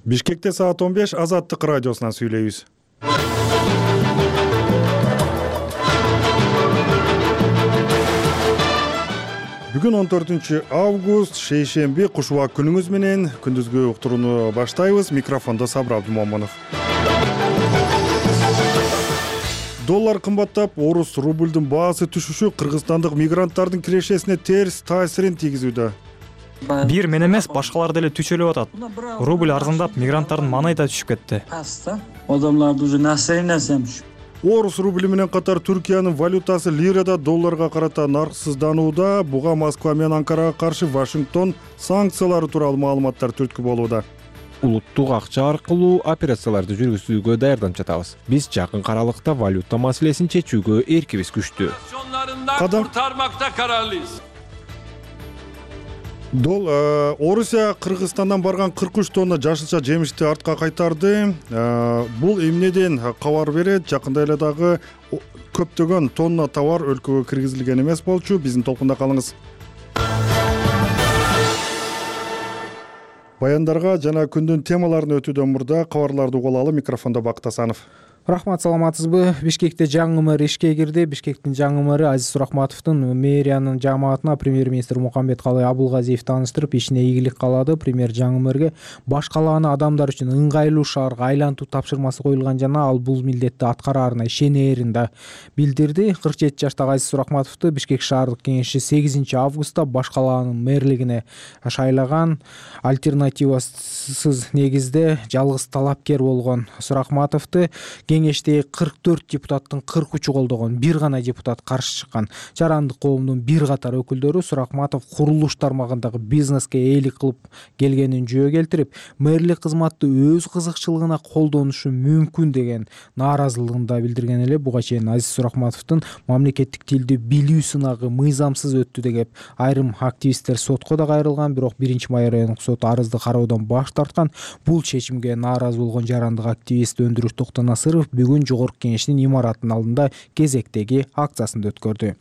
Бишкекте саат 15 Азаттык радиосунан сүйлөйбүз. Бүгүн 14 август, шейшемби, кушубак күнүңүз менен күндүзгү уктурууну баштайбыз. Микрофондо Сабыр Абдумомунов. Доллар кымбаттап, орус рубльдун баасы түшүшү кыргызстандык мигранттардын кирешесине терс таасирин тийгизүүдө. Бир мен эмес, башкалар деле түчөлүп атат. Рубль арзандап, мигранттардын маанай да түшүп кетти. Адамларды уже настроениясы. Орус рубли менен катар Түркиянын валютасы лирада долларга карата нарксызданууда. Буга Москва менен Анкарага каршы Вашингтон санкциялары тууралуу маалыматтар түрткү болууда. Улуттук акча аркылуу операцияларды жүргүзүүгө даярданып жатабыз. Биз жакын аралыкта валюта маселесин чечүүгө эркибиз күчтүү. Kurtarmakta kararlıyız. Орусия Кыргызстандан барган 43 тонна жашылча жемишти артка кайтарды. Бул эмнеден кабар берет? Жакында эле дагы көптөгөн тонна товар өлкөгө киргизилген эмес болчу. Биздин толкунда калыңыз. Баяндарга жана күндүн темаларын өтүүдөн мурда кабарларды угулалы. Микрофондо Бакыт Асанов. Рахмат, саламатсызбы? Бишкекте жаңы мэр ишке кирди. Бишкектин жаңы мэри Азиз Суракматовдун мэриянын жамаатына премьер-министр Мукамбеткалый Абулгазиев тааныштырып, ишине ийгилик каалады. Премьер жаңы мэрге баш калааны адамдар үчүн ыңгайлуу шаарга айлантуу тапшырмасы коюлган жана ал бул милдетти аткараарына ишенээрин да билдирди. 47 жаштагы Азиз Суракматовду Бишкек шаардык кеңеши 8 августта баш калаанын мэрлигине шайлаган. Альтернативасыз негизде жалгыз талапкер болгон Суракматовду кеңештеги 44 депутаттын 43-ü колдогон, бир гана депутат каршы чыккан. Жарандык коомдун бир катар өкүлдөрү Суракматов курулуш тармагындагы бизнеске ээлик кылып келгенин жөө келтирип, мэрлик кызматты өз кызыкчылыгына колдонушу мүмкүн деген нааразылыгын да билдирген эле. Буга чейин Азиз Суракматовдун мамлекеттик тилди билүү сынагы мыйзамсыз өттү деп айрым активисттер сотко да кайрылган, бирок 1-май райондук сот арызды кароодон баш тарткан. Бул чечимге нааразы болгон жарандык активист Өндүрүш Токтонасыров бүгүн жогорку кеңештин имаратынын алдында кезектеги акциясын өткөрдү.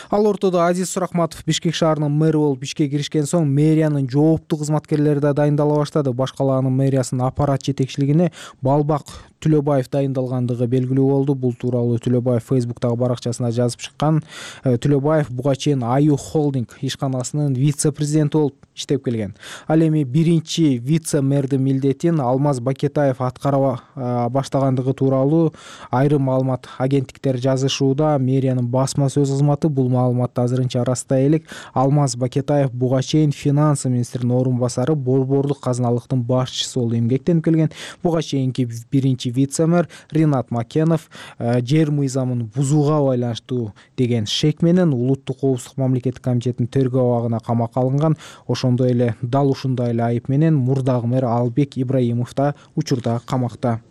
Ал ортодо Азиз Суракматов Бишкек шаарынын мэри болуп ишке киришкен соң мэриянын жооптуу кызматкерлери да дайындала баштады. Баш калаанын мэриясынын аппарат жетекчилигине Балбак Түлөбаев дайындалгандыгы белгилүү болду. Бул тууралуу Түлөбаев Facebook'тагы баракчасына жазып чыккан. Түлөбаев буга чейин Аю Холдинг ишканасынын вице-президенти болуп иштеп келген. Ал эми биринчи вице-мэрдин милдетин Алмаз Бакетаев аткара баштагандыгы тууралуу айрым маалымат агенттиктери жазышууда. Мэриянын басма сөз кызматы бул маалыматты азырынча ырастай элек. Алмаз Бакетаев буга чейин финансы министринин орун басары, борборлук казыналыктын башчысы болуп эмгектенип келген. Буга чейинки биринчи вице-мэр Ринат Макенов жер мыйзамын бузууга байланыштуу деген шек менен Улуттук коопсуздук мамлекеттик комитетинин тергөө абагына камакка алынган. Ошондой эле дал ушундай эле айып менен мурдагы мэр Албек Ибраимов да учурда камакта.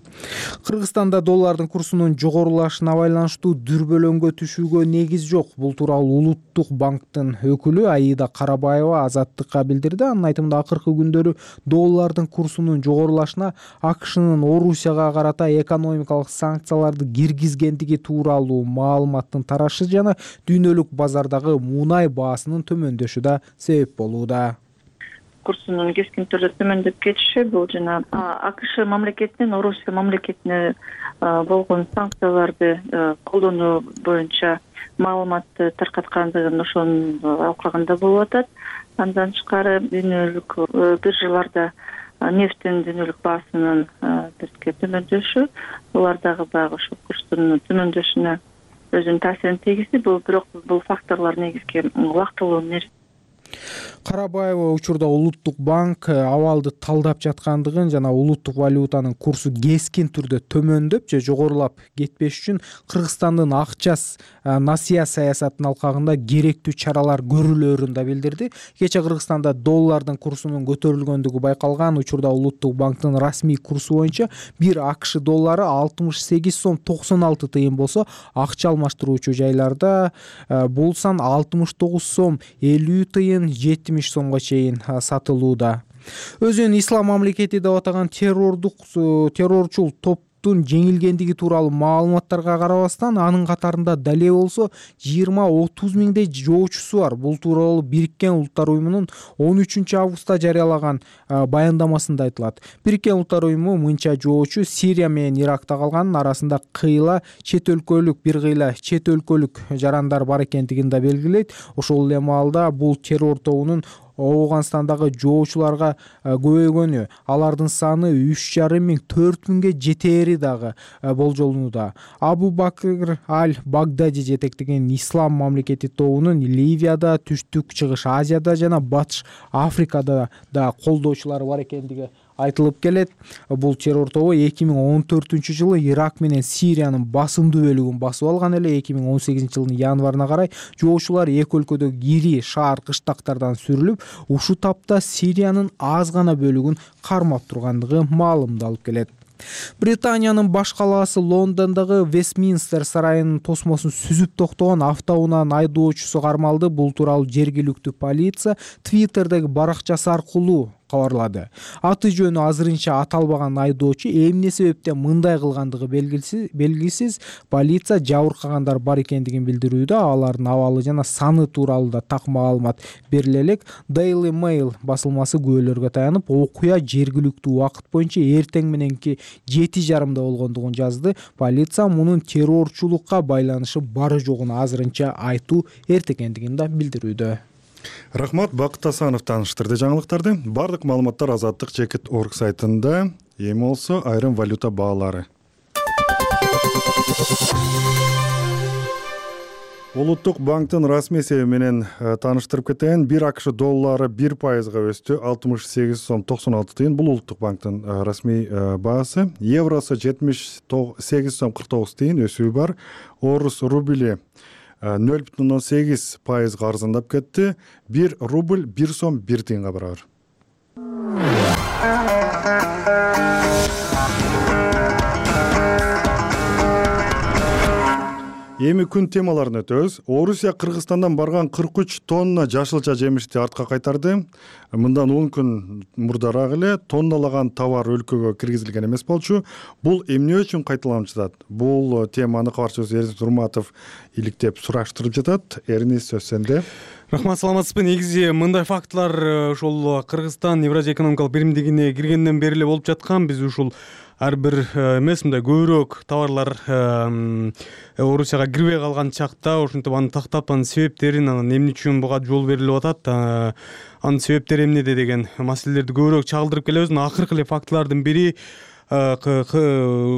Кыргызстанда доллардын курсунун жогорулашына байланыштуу дүрбөлөңгө түшүүгө негиз жок. Бул тууралуу Улуттук банктын өкүлү Аида Карабаева Азаттыкка билдирди. Анын айтымында акыркы күндөрү доллардын курсунун жогорулашына АКШнын Орусияга карата экономикалык санкцияларды киргизгендиги тууралуу маалыматтын тарашы жана дүйнөлүк базардагы мунай баасынын төмөндөшү да себеп болууда. Курсунун кескин түрдө төмөндөп кетиши бул жана АКШ мамлекетинин Орусия мамлекетине болгон санкцияларды колдонуу боюнча маалыматты таркаткандыгын ошонун алкагында болуп атат. Андан тышкары дүйнөлүк биржаларда нефтин дүйнөлүк баасынын бирке төмөндөшү, булардагы баягы ошо курстун төмөндөшүнө өзүнүн таасирин тийгизди. Бирок бул факторлор негизги убактылуу нерсе. Карабаева учурда Улуттук банк абалды талдап жаткандыгын жана улуттук валютанын курсу кескин түрдө төмөндөп же жогорулап кетпеш үчүн Кыргызстандын акча насыя саясатынын алкагында керектүү чаралар көрүлөөрүн да билдирди. Кече Кыргызстанда доллардын курсунун көтөрүлгөндүгү байкалган. Учурда Улуттук банктын расмий курсу боюнча бир АКШ доллары 68 сом 96 тыйын болсо, акча алмаштыруучу жайларда бул сан 69 сом 50 тыйын 70 сомго чейин сатылууда. Өзүн ислам мамлекети деп атаган террорчул топ соттун жеңилгендиги тууралуу маалыматтарга карабастан анын катарында дале болсо 20-30 миңдей жоочусу бар. Бул тууралуу Бириккен Улуттар уюмунун 13 августта жарыялаган баяндамасында айтылат. Бириккен Улуттар уюму мынча жоочу Сирия менен Иракта калганын, арасында бир кыйла чет өлкөлүк жарандар бар экендигин да белгилейт. Ошол эле маалда бул террор тобунун Ооганстандагы жоочуларга көбөйгөнү, алардын саны 3,5 миң 4 миңге жетери дагы болжолунууда. Абу Бакр аль-Багдади жетектеген Ислам мамлекети тобунун Ливияда, Түштүк Чыгыш Азияда жана Батыш Африкада да колдоочулары бар экендиги айтылып келет. Бул террор тобу 2014-жылы Ирак менен Сириянын басымдуу бөлүгүн басып алган эле. 2018-жылдын январына карай жоочулар эки өлкөдөгү ири шаар кыштактардан сүрүлүп, ушул тапта Сириянын аз гана бөлүгүн кармап тургандыгы маалымдалып келет. Британиянын баш калаасы Лондондогу Вестминстер сарайынын тосмосун сүзүп токтогон автоунаанын айдоочусу кармалды. Бул тууралуу жергиликтүү полиция Twitter'деги баракчасы аркылуу кабарлады. Аты жөнү азырынча аталбаган айдоочу эмне себептен мындай кылгандыгы белгисиз. Полиция жабыркагандар бар экендигин билдирүүдө. Алардын абалы жана саны тууралуу да так маалымат бериле элек. Daily Mail басылмасы күбөлөргө таянып, окуя жергиликтүү убакыт боюнча эртең мененки 7:30 болгондугун жазды. Полиция мунун террорчулукка байланышы бары жогун азырынча айтуу эрте экендигин да билдирүүдө. Рахмат, Бакыт Асанов тааныштырды жаңылыктарды. Бардык маалыматтар Азаттык Чекит орг сайтында. Эми болсо айрым валюта баалары. Улуттук банктын расмий эсеби менен тааныштырып кетейин. 1 АКШ доллары 1%га өстү, 68 сом 96 тыйын. Бул улуттук банктын расмий баасы. Евросы 78 сом 49 тыйын өсүү бар. Орус рубли 0,8% арзандап кетти. 1 рубль 1 сом 1 тыйынга барабар. Эми күн темаларын өтөбүз. Орусия Кыргызстандан барган 43 тонна жашылча жемишти артка кайтарды. Мындан 10 күн мурдараак эле тонналаган товар өлкөгө киргизилген эмес болчу. Бул эмне үчүн кайталанып жатат? Бул теманы кабарчыбыз Эрнис Турматов иликтеп сураштырып жатат. Эрнис, сөз сенде. Рахмат, саламатсызбы. Негизи мындай фактылар ошол Кыргызстан Евразия экономикалык биримдигине киргенден бери эле болуп жаткан. Биз ушул ар бир эмес мындай көбүрөөк товарлар Орусияга кирбей калган чакта ошентип аны тактап, анын себептерин, анан эмне үчүн буга жол берилип атат, анын себептери эмнеде деген маселелерди көбүрөөк чагылдырып келебиз. Акыркы эле фактылардын бири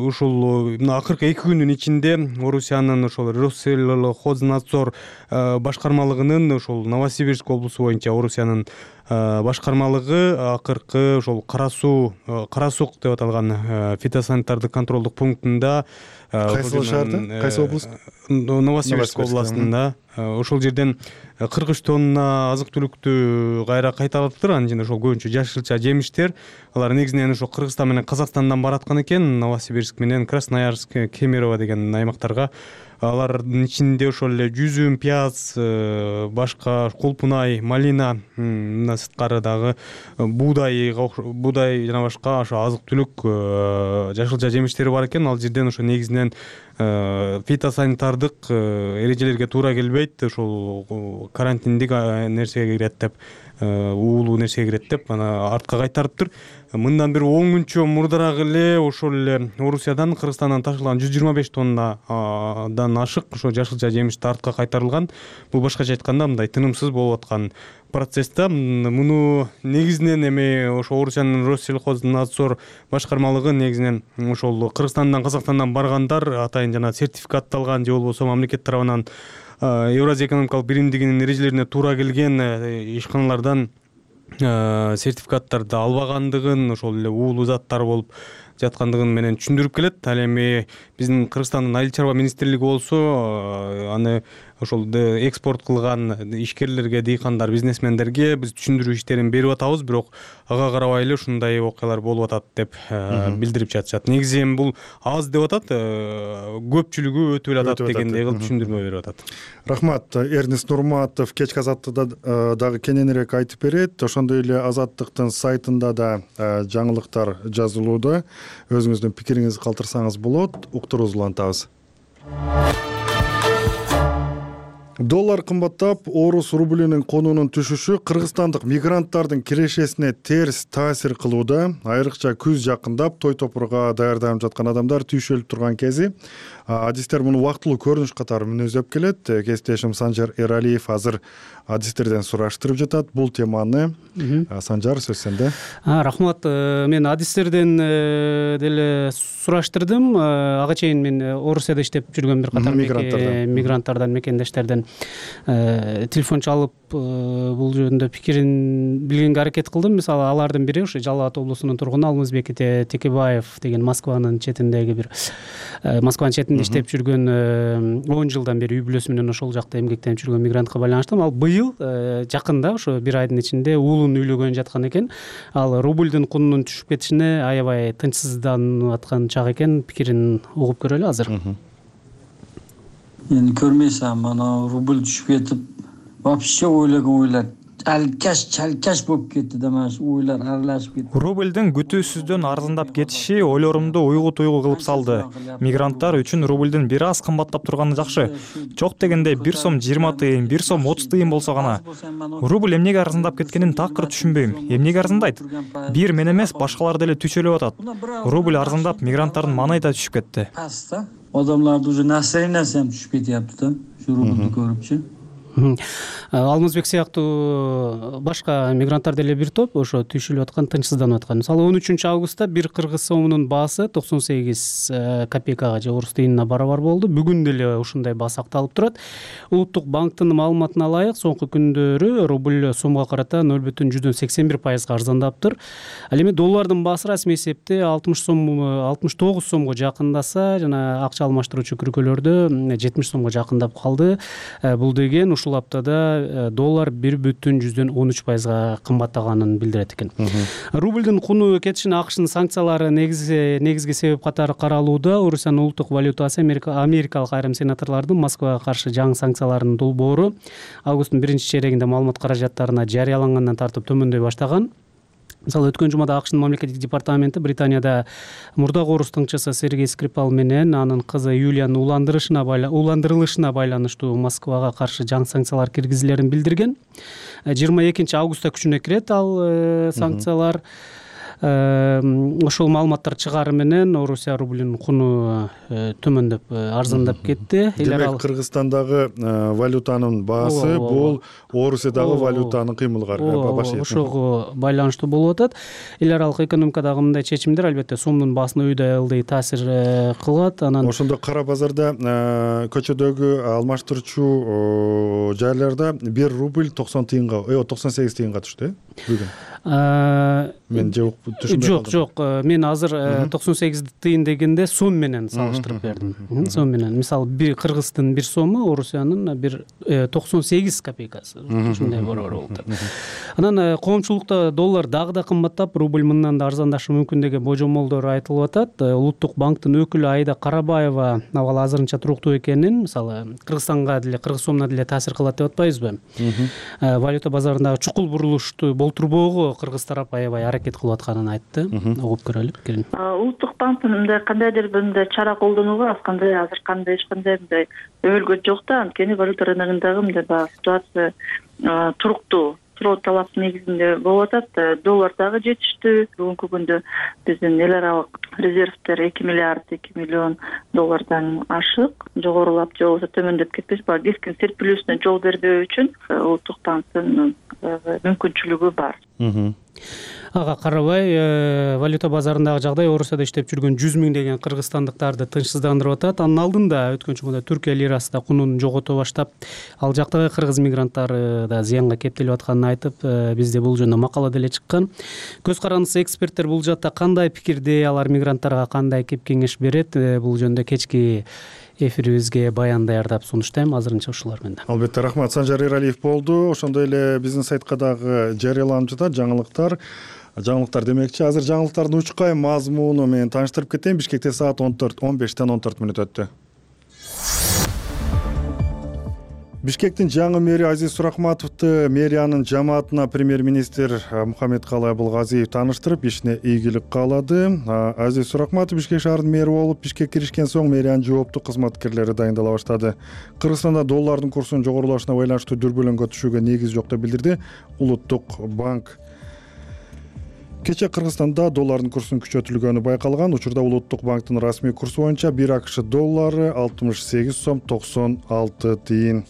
ушул акыркы 2 күндүн ичинде Орусиянын ошол Россельхознадзор башкармалыгынын ошол Новосибирск облусу боюнча Орусиянын башкармалыгы акыркы ошол Кара Сук деп аталган фитосанитардык контролдук пунктунда кайсы шаарды? Кайсы облус? Новосибирск областында. Ошол жерден 43 тонна азык түлүктү кайра кайтарылыптыр. Анын ичинде ошол көбүнчө жашылча жемиштер. Алар негизинен ошол Кыргызстан менен Казакстандан бараткан экен. Новосибирск менен Красноярск, Кемерово деген аймактарга. Алардын ичинде ошол эле жүзүм, пияз, башка кулпунай, малина, мындан сырткары дагы буудай жана башка ошо азык түлүк жашылча жемиштери бар экен. Ал жерден ошо негизинен фитосанитардык эрежелерге туура келбейт, ошол карантиндик нерсеге кирет деп, уулуу нерсеге кирет деп аны артка кайтарыптыр. Мындан бир 10 күнчө мурдараак эле ошол эле Орусиядан Кыргызстандан ташылган 125 тоннадан ашык ошо жашылча жемишти артка кайтарылган. Бул башкача айтканда мындай тынымсыз болуп аткан процессте. Муну негизинен эми ошо Орусиянын Россельхознадзор башкармалыгы негизинен ошол Кыргызстандан, Казакстандан баргандар атайын жана сертификатталган же болбосо мамлекет тарабынан Евразия экономикалык биримдигинин эрежелерине туура келген ишканалардан сертификаттарды албагандыгын, ошол эле уулуу заттар болуп жаткандыгын менен түшүндүрүп келет. Ал эми биздин Кыргызстандын Айыл чарба министрлиги болсо аны ошол экспорт кылган ишкерлерге, дыйкандар, бизнесмендерге биз түшүндүрүү иштерин берип атабыз, бирок ага карабай эле ушундай окуялар болуп атат деп билдирип жатышат. Негизи эми бул аз деп атат, көпчүлүгү өтүп эле атат дегендей кылып түшүндүрмө берип атат. Рахмат. Эрнест Нурматов кечки Азаттыкта дагы кененирээк айтып берет. Ошондой эле Азаттыктын сайтында да жаңылыктар жазылууда. Өзүңүздүн пикириңизди калтырсаңыз болот. Уктуруубузду улантабыз. Доллар кымбаттап, орус рублинин конунун түшүшү кыргызстандык мигранттардын кирешесине терс таасир кылууда. Айрыкча күз жакындап, той топурга даярданып жаткан адамдар түйшөлүп турган кези. Адистер муну убактылуу көрүнүш катары мүнөздөп келет. Кесиптешим Санжар Эралиев азыр адистерден сураштырып жатат бул теманы. Санжар, сөз сенде. Рахмат. Мен адистерден деле сураштырдым. Ага чейин мен Орусияда иштеп жүргөн бир катар мигранттардан, мекендештерден телефон чалып бул жөнүндө пикирин билгенге аракет кылдым. Мисалы, алардын бири ошо Жалал Абад облусунун тургуну Алмазбек Текебаев деген Москванын четиндеги бир Москванын четинде иштеп жүргөн 10 жылдан бери үй бүлөсү менен ошол жакта эмгектенип жүргөн мигрантка байланыштуу. Ал быйыл жакында ошо бир айдын ичинде уулун үйлөгөн жаткан экен. Ал рубльдин кунунун түшүп кетишине аябай тынчсызданып аткан чак экен. Пикирин угуп көрөлү азыр. Эми көрмөйсүң, мана рубль түшүп кетип, вообще ойлогон ойлор чалкаш болуп кетти да, mana ойлор аралашып кетти. Рубльдин күтүүсүздөн арзандап кетиши ойлорумду уйгу-туйгу кылып салды. Мигранттар үчүн рубльдин бир аз кымбаттап турганы жакшы. Жок дегенде 1 сом 20 тыйын, 1 сом 30 тыйын болсо гана. Рубль эмнеге арзандап кеткенин такыр түшүнбөйм. Эмнеге арзандайт? Бир мен эмес, башкалар деле түчөлөп атат. Рубль арзандап, мигранттардын маанайы да түшүп кетти. Адамдарды уже настроениясы түшүп кетиптир да, ушу рубльдү көрүпчү. Алмазбек сыяктуу башка мигранттар деле бир топ ошо түйшүлүп аткан, тынчсызданып аткан. Мисалы 13 августта бир кыргыз сомунун баасы 98 копейкага же орус тыйынына барабар болду. Бүгүн деле ушундай баа сакталып турат. Улуттук банктын маалыматына ылайык, соңку күндөрү рубль сомго карата 0,81% арзандаптыр. Ал эми доллардын баасы расмий эсепте 69 сомго жакындаса, жана акча алмаштыруучу күркөлөрдө 70 сомго жакындап калды. Бул деген ушул аптада доллар 1,13% кымбаттаганын билдирет экен. Рубльдин куну кетишине АКШнын санкциялары негизги себеп катары каралууда. Орусиянын улуттук валютасы америкалык айрым сенаторлордун Москвага каршы жаңы санкцияларынын долбоору августтун 1-чейрегинде маалымат каражаттарына жарыялангандан тартып төмөндөй баштаган. Мисалы, өткөн жумада АКШнын мамлекеттик департаменти Британияда мурдагы орус тыңчысы Сергей Скрипал менен анын кызы Юлиянын уландырылышына байланыштуу Москвага каршы жаңы санкциялар киргизилерин билдирген. 22 августта күчүнө кирет ал санкциялар. Ошол маалыматтар чыгары менен Орусия рублинин куну төмөндөп, арзандап кетти. Демек, Кыргызстандагы валютанын баасы бул Орусиядагы валютанын кыймылга башы. Ошого байланыштуу болуп атат. Эл аралык экономикадагы мындай чечимдер албетте сомдун баасына үйдөй ылдый таасир кылат. Анан ошондо кара базарда көчөдөгү алмаштыруучу жайларда 1 рубль 90 тыйынга, 98 тыйынга түштү бүгүн. Мен Жок, мен азыр 98 тыйын дегенде сом менен салыштырып бердим. Сом менен. Мисалы, Кыргыздын 1 сому, Орусиянын 98 копейкасы. Ушундай борбор болду. Анан коомчулукта доллар дагы да кымбаттап, рубль мындан да арзандашы мүмкүн деген божомолдор айтылып атат. Улуттук банктын өкүлү Айда Карабаева абал азырынча туруктуу экенин, мисалы, Кыргызстанга деле, кыргыз сомуна деле таасир кылат деп атпайбызбы? Валюта базарындагы чукул бурулушту болтурбоого кыргыз тарап аябай аракет кылып атканын айтты. Угуп көрөлү пикирин. Улуттук банктын мындай кандайдыр мындай чара колдонууга азыр кандай эч кандай мындай өбөлгө жок да, анткени валюта рыногундагы мындай ситуация туруктуу талап негизинде болуп атат. Доллар дагы жетиштүү. Бүгүнкү күндө биздин эл аралык резервдер 2 миллиард 2 миллион доллардан ашык, жогорулап же болбосо төмөндөп кетпеш, кескин серпилүүсүнө жол бербөө үчүн улуттук банктын мүмкүнчүлүгү бар. Ага карабай, валюта базарындагы жагдай Орусияда иштеп жүргөн 100 миңдеген кыргызстандыктарды тынчсыздандырып атат. Анын алдында өткөн жумада Түркия лирасы да кунун жогото баштап, ал жактагы кыргыз мигранттары да зыянга кептелип атканын айтып, бизде бул жөнүндө макала деле чыккан. Көз карандысы эксперттер бул жакта кандай пикирде, алар мигранттарга кандай кеп кеңеш берет? Бул жөнүндө кечки эфирибизге баян даярдап сунуштайм. Азырынча ушулар менен. Албетте рахмат. Санжар Эралиев болду. Ошондой эле биздин сайтка дагы жарыяланып жатат жаңылыктар демекчи. Азыр жаңылыктардын учкай мазмуну менен тааныштырып кетейин. Бишкекте саат 15-тен 14 мүнөт өттү. Бишкектин жаңы мэри Азиз Суракматовду мэриянын жамаатына премьер-министр Мухаммедкалый Абылгазиев тааныштырып, ишине ийгилик каалады. Азиз Суракматов Бишкек шаарынын мэри болуп, Бишкекке киришкен соң мэриянын жооптуу кызматкерлери дайындала баштады. Кыргызстанда доллардын курсунун жогорулашына байланыштуу дүрбөлөңгө түшүүгө негиз жок деп билдирди Улуттук банк. Кече Кыргызстанда доллардын курсунун күчөтүлгөнү байкалган. Учурда Улуттук банктын расмий курсу боюнча 1 АКШ доллары 68 сом 96 тыйын.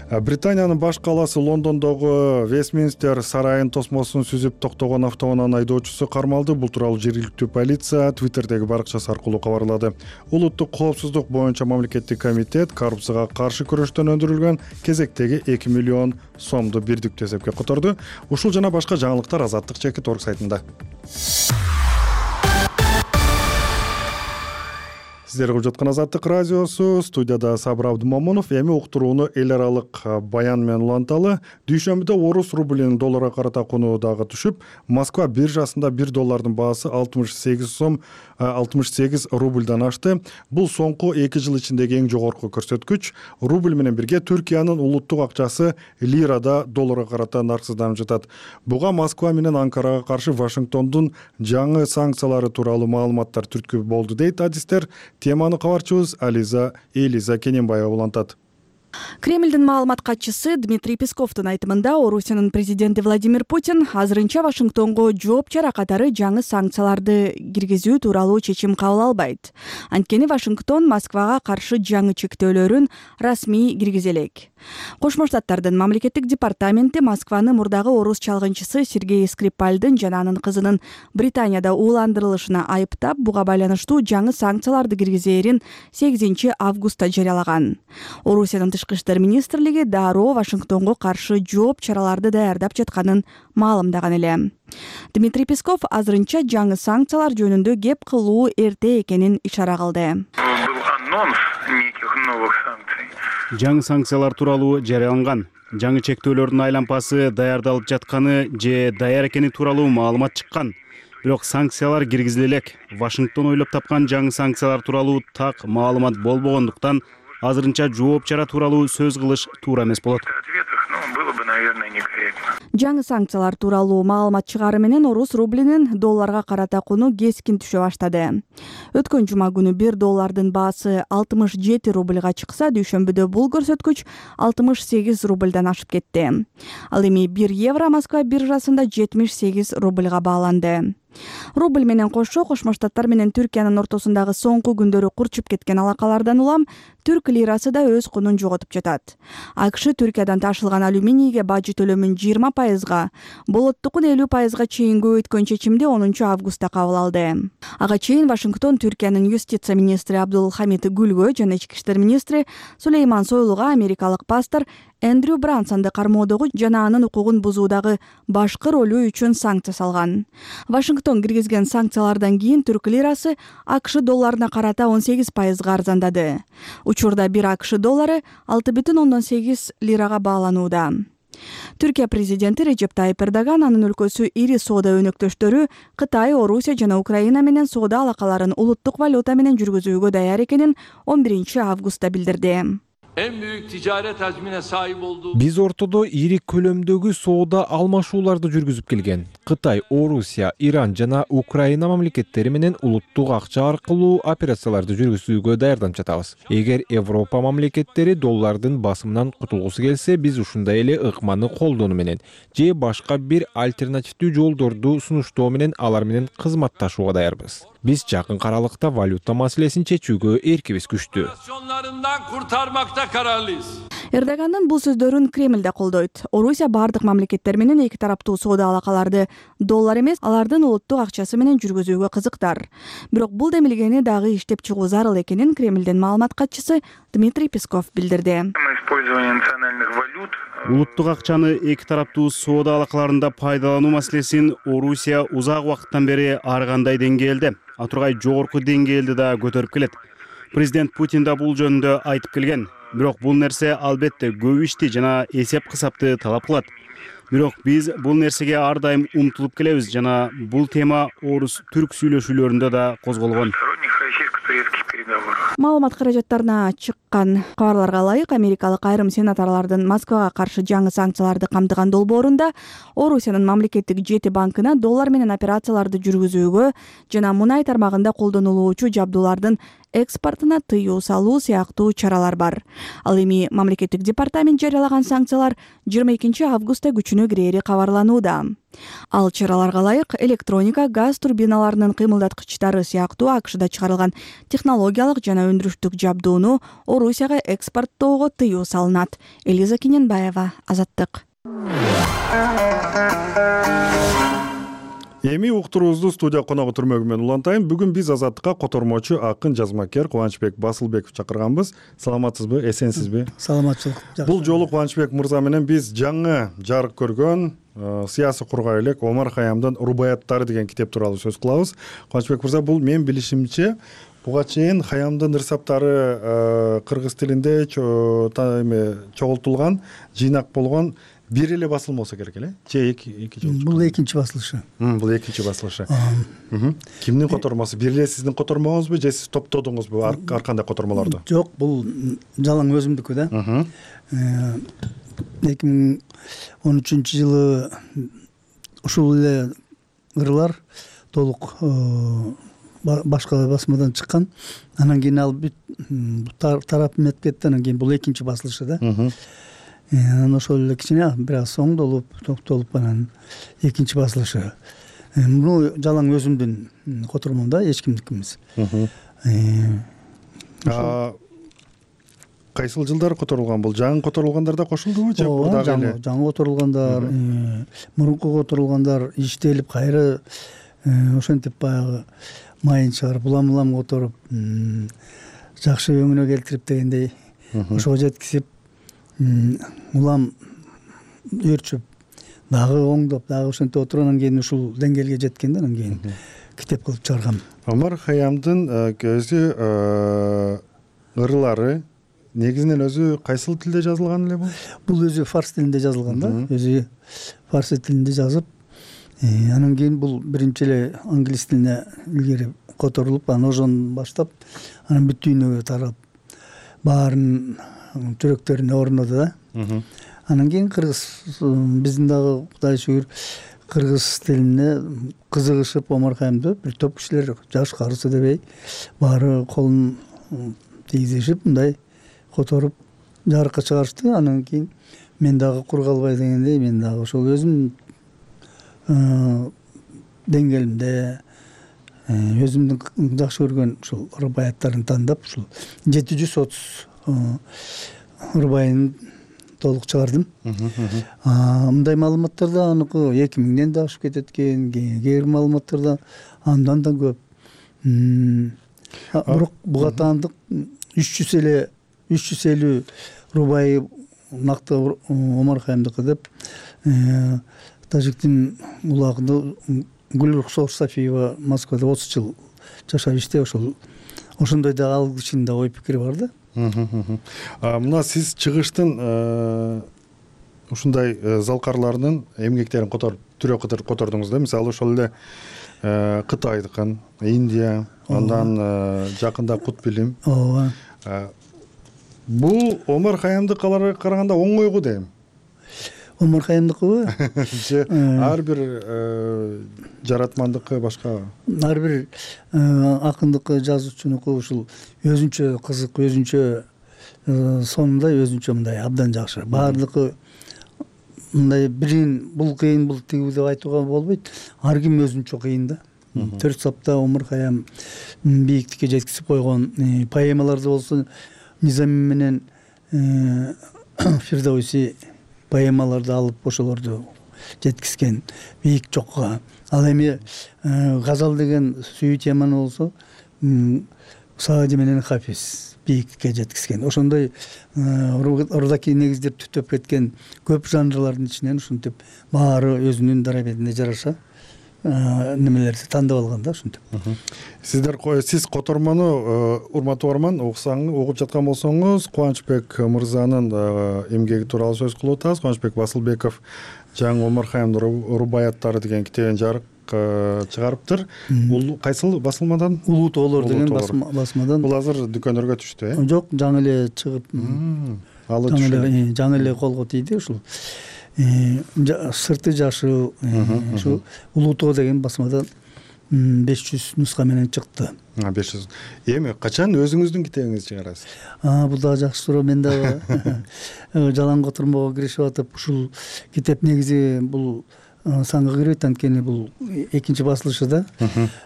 Британиянын баш калаасы Лондондогу Вестминстер сарайын тосмосун сүзүп токтогон автоунаанын айдоочусу кармалды. Бул тууралуу жергиликтүү полиция Twitterдеги баракчасы аркылуу кабарлады. Улуттук коопсуздук боюнча мамлекеттик комитет коррупцияга каршы күрөштөн өндүрүлгөн кезектеги 2 миллион сомду бирдиктүү эсепке которду. Ушул жана башка жаңылыктар Азаттык.org сайтында. Сиздер угуп жаткан Азаттык радиосу, студияда Сабыр Абдымомунов. Эми уктурууну эл аралык баян менен уланталы. Дүйшөмбүдө орус рублинин долларга карата кунуу дагы түшүп, Москва биржасында 1 доллардын баасы 68 рубльдан ашты. Бул соңку 2 жыл ичиндеги эң жогорку көрсөткүч. Рубль менен бирге Түркиянын улуттук акчасы лирада долларга карата нарксызданып жатат. Буга Москва менен Анкарага каршы Вашингтондун жаңы санкциялары тууралуу маалыматтар түрткү болду дейт адистер. Теманы кабарчыбыз Элиза Кененбаева улантат. Кремлдин маалымат катчысы Дмитрий Песковдун айтымында Орусиянын президенти Владимир Путин азырынча Вашингтонго жооп чара катары жаңы санкцияларды киргизүү тууралуу чечим кабыл албайт. Анткени Вашингтон Москвага каршы жаңы чектөөлөрүн расмий киргизе элек. Кошмо Штаттардын мамлекеттик департаменти Москваны мурдагы орус чалгынчысы Сергей Скрипальдын жана анын кызынын Британияда ууландырылышына айыптап, буга байланыштуу жаңы санкцияларды киргизээрин 8 августта жарыялаган. Орусиянын Тышкы иштер министрлиги дароо Вашингтонго каршы жооп чараларды даярдап жатканын маалымдаган эле. Дмитрий Песков азырынча жаңы санкциялар жөнүндө кеп кылуу эрте экенин ишара кылды. Жаңы санкциялар тууралуу жарыяланган. Жаңы чектөөлөрдүн айлампасы даярдалып жатканы же даяр экени тууралуу маалымат чыккан. Бирок санкциялар киргизиле элек. Вашингтон ойлоп тапкан жаңы санкциялар тууралуу так маалымат болбогондуктан азырынча жооп чара тууралуу сөз кылыш туура эмес болот. Жаңы санкциялар тууралуу маалымат чыгары менен орус рублинин долларга карата куну кескин түшө баштады. Өткөн жума күнү 1 доллардын баасы 67 рубльга чыкса, дүйшөмбүдө бул көрсөткүч 68 рубльдан ашып кетти. Ал эми 1 евро Москва биржасында 78 рубльга бааланды. Рубль менен кошо Кошмо Штаттар менен Түркиянын ортосундагы соңку күндөрү курчуп кеткен алакалардан улам түрк лирасы да өз кунун жоготуп жатат. АКШ Түркиядан ташылган алюминийге бажы төлөмүн 20%, болоттукун 50%га чейин көбөйткөн чечимди 10 августта кабыл алды. Ага чейин Вашингтон Түркиянын юстиция министри Абдулхамид Гүлгө жана ички иштер министри Сулейман Сойлуга америкалык пастор Эндрю Брансонду кармоодогу жана анын укугун бузуудагы башкы ролу үчүн санкция салган. Вашингтон киргизген санкциялардан кийин түрк лирасы АКШ долларына карата 18%га арзандады. Учурда 1 АКШ доллары 6,8 лирага бааланууда. Түркия президенти Режеп Тайип Эрдоган анын өлкөсү ири соода өнөктөштөрү Кытай, Орусия жана Украина менен соода алакаларын улуттук валюта менен жүргүзүүгө даяр экенин 11 августта билдирди. Биз ортодо ири көлөмдөгү соода алмашууларды жүргүзүп келген. Кытай, Орусия, Иран жана Украина мамлекеттери менен улуттук акча аркылуу операцияларды жүргүзүүгө даярданып жатабыз. Эгер Европа мамлекеттери доллардын басымынан кутулгусу келсе, биз ушундай эле ыкманы колдонуу менен же башка бир альтернативдүү жолдорду сунуштоо менен алар менен кызматташууга даярбыз. Биз жакын аралыкта валюта маселесин чечүүгө эркибиз күчтүү. Эрдогандын бул сөздөрүн Кремль да колдойт. Орусия бардык мамлекеттер менен эки тараптуу соода алакаларды доллар эмес, алардын улуттук акчасы менен жүргүзүүгө кызыктар. Бирок бул демилгени дагы иштеп чыгуу зарыл экенин Кремлдин маалымат катчысы Дмитрий Песков билдирди. Улуттук акчаны эки тараптуу соода алакаларында пайдалануу маселесин Орусия узак убакыттан бери ар кандай деңгээлде, а тургай жогорку деңгээлде да көтөрүп келет. Президент Путин да бул жөнүндө айтып келген. Бирок бул нерсе албетте көп ишти жана эсеп кысапты талап кылат. Бирок биз бул нерсеге ар дайым умтулуп келебиз жана бул тема орус-түрк сүйлөшүүлөрүндө да козголгон. Маалымат каражаттарына чыккан кабарларга ылайык, америкалык айрым сенаторлордун Москвага каршы жаңы санкцияларды камтыган долбоорунда Орусиянын мамлекеттик жети банкына доллар менен операцияларды жүргүзүүгө жана мунай тармагында колдонулуучу жабдуулардын экспортуна тыюу салуу сыяктуу чаралар бар. Ал эми мамлекеттик департамент жарыялаган санкциялар 22 августта күчүнө кирери кабарланууда. Ал чараларга ылайык электроника, газ турбиналарынын кыймылдаткычтары сыяктуу АКШда чыгарылган технологиялык жана өндүрүштүк жабдууну Орусияга экспорттоого тыюу салынат. Элиза Кененбаева, Азаттык. Эми уктуруубузду студия коногу түрмөгү менен улантайын. Бүгүн биз Азаттыкка котормочу акын жазмакер Кубанычбек Басылбеков чакырганбыз. Саламатсызбы, эсенсизби? Саламатчылык. Бул жолу Кубанычбек мырза менен биз жаңы жарык көргөн саясий кургай элек Омар Хайямдын Рубаяттары деген китеп тууралуу сөз кылабыз. Кубанычбек мырза, бул менин билишимче буга чейин Хайямдын ырсаптары кыргыз тилинде чогултулган, жыйнак болгон бир эле басылым болсо керек эле? Же эки жолу? Бул экинчи басылышы. Бул экинчи басылышы. Кимдин котормосу? Бир эле сиздин котормоңузбу же сиз топтодуңузбу ар кандай котормолорду? Жок, бул жалаң өзүмдүкү да. 2013-жылы ушул эле ырлар толук башка басмадан чыккан. Анан кийин ал тарап метип кетти. Анан кийин бул экинчи басылышы да. Анан ошол эле кичине бир аз соңдолуп, токтолуп анан экинчи басылышы. Бул жалаң өзүмдүн котормом да, эч кимдики эмес. Кайсыл жылдары которулган бул? Жаңы которулгандар да кошулдубу же дагы эле? Жаңы которулгандар, мурунку которулгандар иштелип кайра ошентип баягы майын чыгарып, улам которуп, жакшы өңүнө келтирип дегендей ошого жеткизип, улам өрчүп, дагы оңдоп, дагы ошентип отургандан кийин ушул деңгээлге жеткен да, анан кийин китеп кылып чыгаргам. Омар Хайямдын өзү ырлары негизинен өзү кайсыл тилде жазылган эле бул? Бул өзү фарс тилинде жазылган да, өзү фарс тилинде жазып, анан кийин бул биринчи эле англис тилине илгери которулуп, анан ошон баштап, анан бүт дүйнөгө тарап, баарын жүрөктөрүнө орноду да. Анан кийин кыргыз, биздин дагы Кудай шүгүр кыргыз тилине кызыгышып Омар Хайямды бир топ кишилер, жаш карысы дебей, баары колун тийгизишип, мындай которуп жарыкка чыгарышты. Анан кийин мен дагы кур калбай дегендей, мен дагы ошол өзүм деңгээлимде өзүмдүн жакшы көргөн ушул рубаяттарын тандап, ушул 730 рубайын толук чыгардым. Мындай маалыматтарда аныкы 2000ден да ашып кетет экен, кээ бир маалыматтарда андан да көп. Бирок буга таандык 350 рубайы накты Омар Хайямдыкы деп тажиктин улагында Гүлрухсор Сафиева Москвада 30 жыл жашап иште, ошондой да ал кишинин да ой пикири бар да. Мына сиз чыгыштын ушундай залкарларынын эмгектерин түрө котордуңуз да. Мисалы ошол эле Кытайдыкын, Индия, андан жакында Кут билим. Бул Омар Хайямдыкаларга караганда оңойгу дейм. Омар Хайямдыкыбы? Ар бир жаратмандыкы башка. Ар бир акындыкы, жазуучунуку ушул өзүнчө кызык, өзүнчө сонундай, өзүнчө мындай абдан жакшы. Баардыгы мындай бирин бул кыйын, бул тигүү деп айтууга болбойт. Ар ким өзүнчө кыйын да. 4 сапта Омар Хайям бийиктикке жеткизип койгон поэмаларды болсо Низами менен Фирдауси поэмаларды алып ошолорду жеткизген бийик жокко. Ал эми газал деген сүйүү теманы болсо Саади менен Хафиз бийиктикке жеткизген. Ошондой ордоки негиздер түптөп кеткен көп жанрлардын ичинен ушинтип баары өзүнүн дарабетине жараша немелерди тандап алган да ушинтип. Сиз котормону урматтуу угарман угуп жаткан болсоңуз, Кубанычбек мырзанын эмгеги тууралуу сөз кылып атабыз. Кубанычбек Басылбеков жаңы Омархаямдын рубаяттары деген китебин жарык чыгарыптыр. Кайсыл басылмадан? Улуу тоолор деген басмадан. Бул азыр дүкөндөргө түштү, Жок, жаңы эле чыгып, жаңы эле колго тийди ушул. Сырты жашыл, ушу Улуу тоо деген басмадан 500 нуска менен чыкты. 500. Эми качан өзүңүздүн китебиңизди чыгарасыз? Бул дагы жакшы суроо. Мен дагы жалаң котурмого киришип атып, ушул китеп негизи бул санга кирбейт, анткени бул экинчи басылышы да.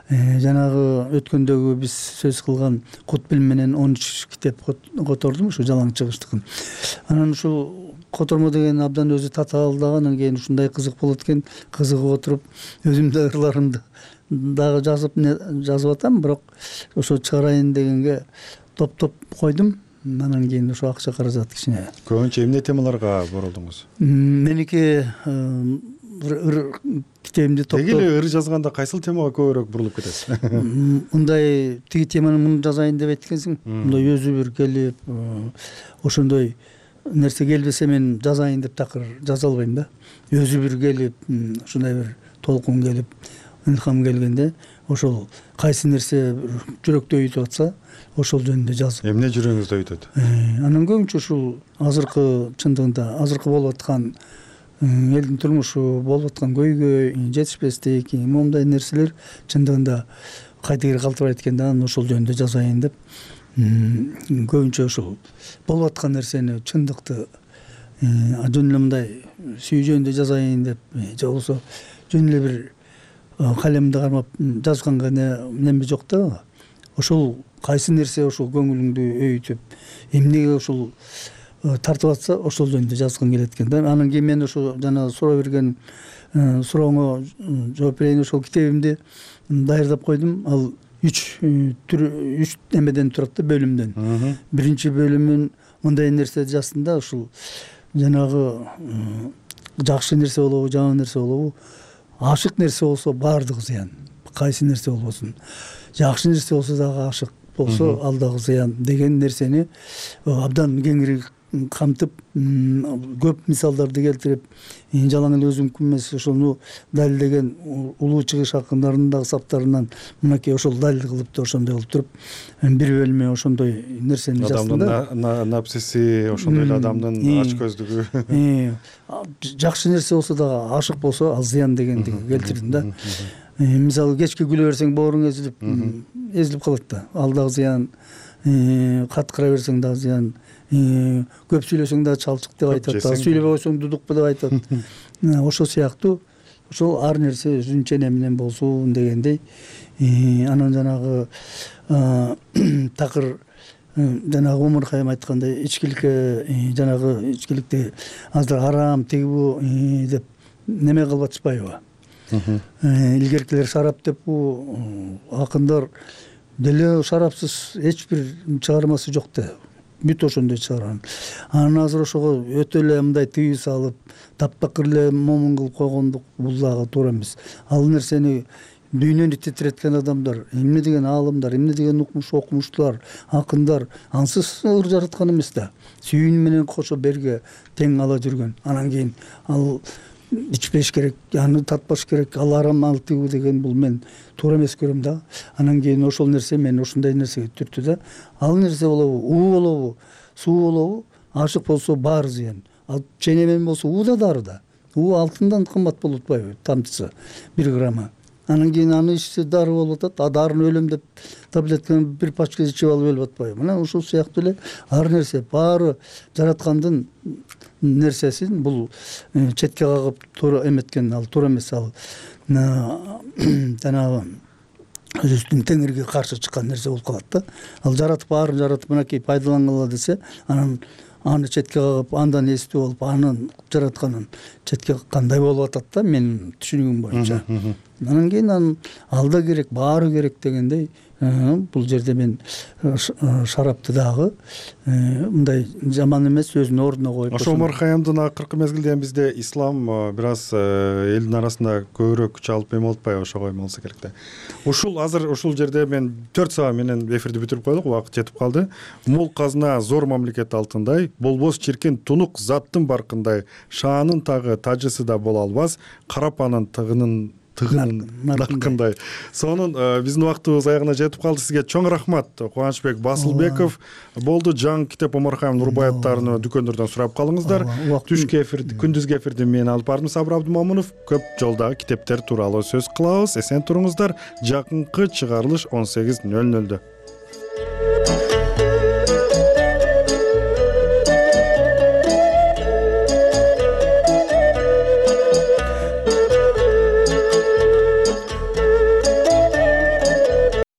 Жанагы өткөндөгү биз сөз кылган Кут билим менен 13 китеп котордум, ушу жалаң чыгыштыкын. Анан ушул котормо деген абдан өзү татаал дагы, анан кийин ушундай кызык болот экен, кызыгып отуруп өзүм да ырларымды дагы жазып атам, бирок ошо чыгарайын дегенге топтоп койдум. Анан кийин ошо акча каражат кичине. Көбүнчө эмне темаларга боролдуңуз? Меники китебимди топтоп. Деги эле ыр жазганда кайсыл темага көбүрөөк бурулуп кетесиз? Мындай тиги теманы муну жазайын деп айткансың, мындай өзү бир келип, ошондой нерсе келбесе мен жазайын деп такыр жаза албайм да. Өзү бир келип, ушундай бир толкун келип, илхам келгенде, ошол кайсы нерсе жүрөктө өйтүп атса, ошол жөнүндө жазып. Эмне жүрөгүңүздө өйтөт? Анан көбүнчө ушул азыркы чындыгында азыркы болуп аткан элдин турмушу, болуп аткан көйгөй, жетишпестик, момундай нерселер чындыгында кайда кире калтырбайт экен да, ошол жөнүндө жазайын деп. Көбүнчө ушул болуп аткан нерсени, чындыкты жөн эле мындай сүйүү жөнүндө жазайын деп, же болбосо жөн эле бир калемди кармап жазганга неме жок да. Ошол кайсы нерсе ошол көңүлүңдү өйтүп, эмнеге ушул тартып атса, ошол жөнүндө жазгым келет экен да. Анан кийин мен ошо жана суроо берген сурооңо жооп берейин. Ошол китебимди даярдап койдум. Ал 3 эмеден турат да, бөлүмдөн. Биринчи бөлүмүн мындай нерсе жаздым да, ушул жанагы жакшы нерсе болобу, жаман нерсе болобу, ашык нерсе болсо баардыгы зыян. Кайсы нерсе болбосун. Жакшы нерсе болсо дагы ашык болсо ал дагы зыян деген нерсени абдан кеңири камтып, көп мисалдарды келтирип, жалаң эле өзүмкүн эмес, ошону далилдеген улуу чыгыш акындарынын дагы саптарынан мынакей ошол далил кылып да ошондой кылып туруп, бир бөлүмү ошондой нерсени жаздым да. Адамдын напсиси, ошондой эле адамдын ач көздүгү. Жакшы нерсе болсо дагы ашык болсо ал зыян дегенди келтирдим да. Мисалы кечке күлө берсең бооруң эзилип калат да, ал дагы зыян. Каткыра берсең дагы зыян. Көп сүйлөсөң дагы чалчык деп айтат, сүйлөбөй койсоң дудукпу деп айтат. Ошол сыяктуу ошол ар нерсе өзүнчө менен болсун дегендей. Анан жанагы такыр жанагы Омархайым айткандай ичкиликке, жанагы ичкиликти азыр арам тигибу деп неме кылып атышпайбы? Илгеркилер шарап деп акындар деле шарапсыз эч бир чыгармасы жок да. Бүт ошондой чыгарган. Анан азыр ошого өтө эле мындай тыюу салып, таптакыр эле момун кылып койгондук бул дагы туура эмес. Ал нерсени дүйнөнү титиреткен адамдар, эмне деген аалымдар, эмне деген окумуштуулар, акындар ансыз ыр жараткан эмес да. Сүйүүнү менен кошо берге тең ала жүргөн. Анан кийин ал ичпеш керек, аны татпаш керек, ал арам ал тигүү деген бул мен туура эмес көрөм да. Анан кийин ошол нерсе мен ошондой нерсеге түрттү да. Ал нерсе болобу, уу болобу, суу болобу, ашык болсо баары зыян. Ал ченемен болсо уу да дары да. уу алтындан кымбат болуп атпайбы тамчысы 1 граммы. Анан кийин аны ичсе дары болуп атат, а дарыны өлөм деп таблетканы бир пачка ичип алып өлүп атпайбы. Мына ушул сыяктуу эле ар нерсе баары жараткандын нерсесин бул четке кагып туура эметкен ал туура эмес, ал жанагы өзүнүн теңирге каршы чыккан нерсе болуп калат да. Ал жаратып баарын жаратып мынакей пайдалангыла десе, анан аны четке кагып андан эстүү болуп анын жаратканын четке кандай болуп атат да менин түшүнүгүм боюнча. анан кийин анын алда керек, баары керек дегендей бул жерде мен шарапты дагы мындай жаман эмес өзүнүн ордуна коюп. ошо Омар Хаямдын акыркы мезгилде бизде ислам бир аз элдин арасында көбүрөөк күч алып эме болуп атпайбы, ошого эме болсо керек да. Ушул азыр ушул жерде мен 4 саат менен эфирди бүтүрүп койдук, убакыт жетип калды. Мол казына зор мамлекет алтындай, болбос чиркин тунук заттын баркындай, шаанын тагы тажысы да боло албас, карапанын тыгынын наркындай. Сонун биздин убактыбыз аягына жетип калды. Сизге чоң рахмат. Кубанычбек Басылбеков болду. Жаңы китеп Омар Хаям Нурбаевдарын дүкөндөрдөн сурап калыңыздар. Түшкү эфирди, күндүзгү эфирди мен алып бардым, Сабыр Абдымомунов. Көп жолдагы китептер тууралуу сөз кылабыз. Эсен туруңуздар. Жакынкы чыгарылыш 18:00.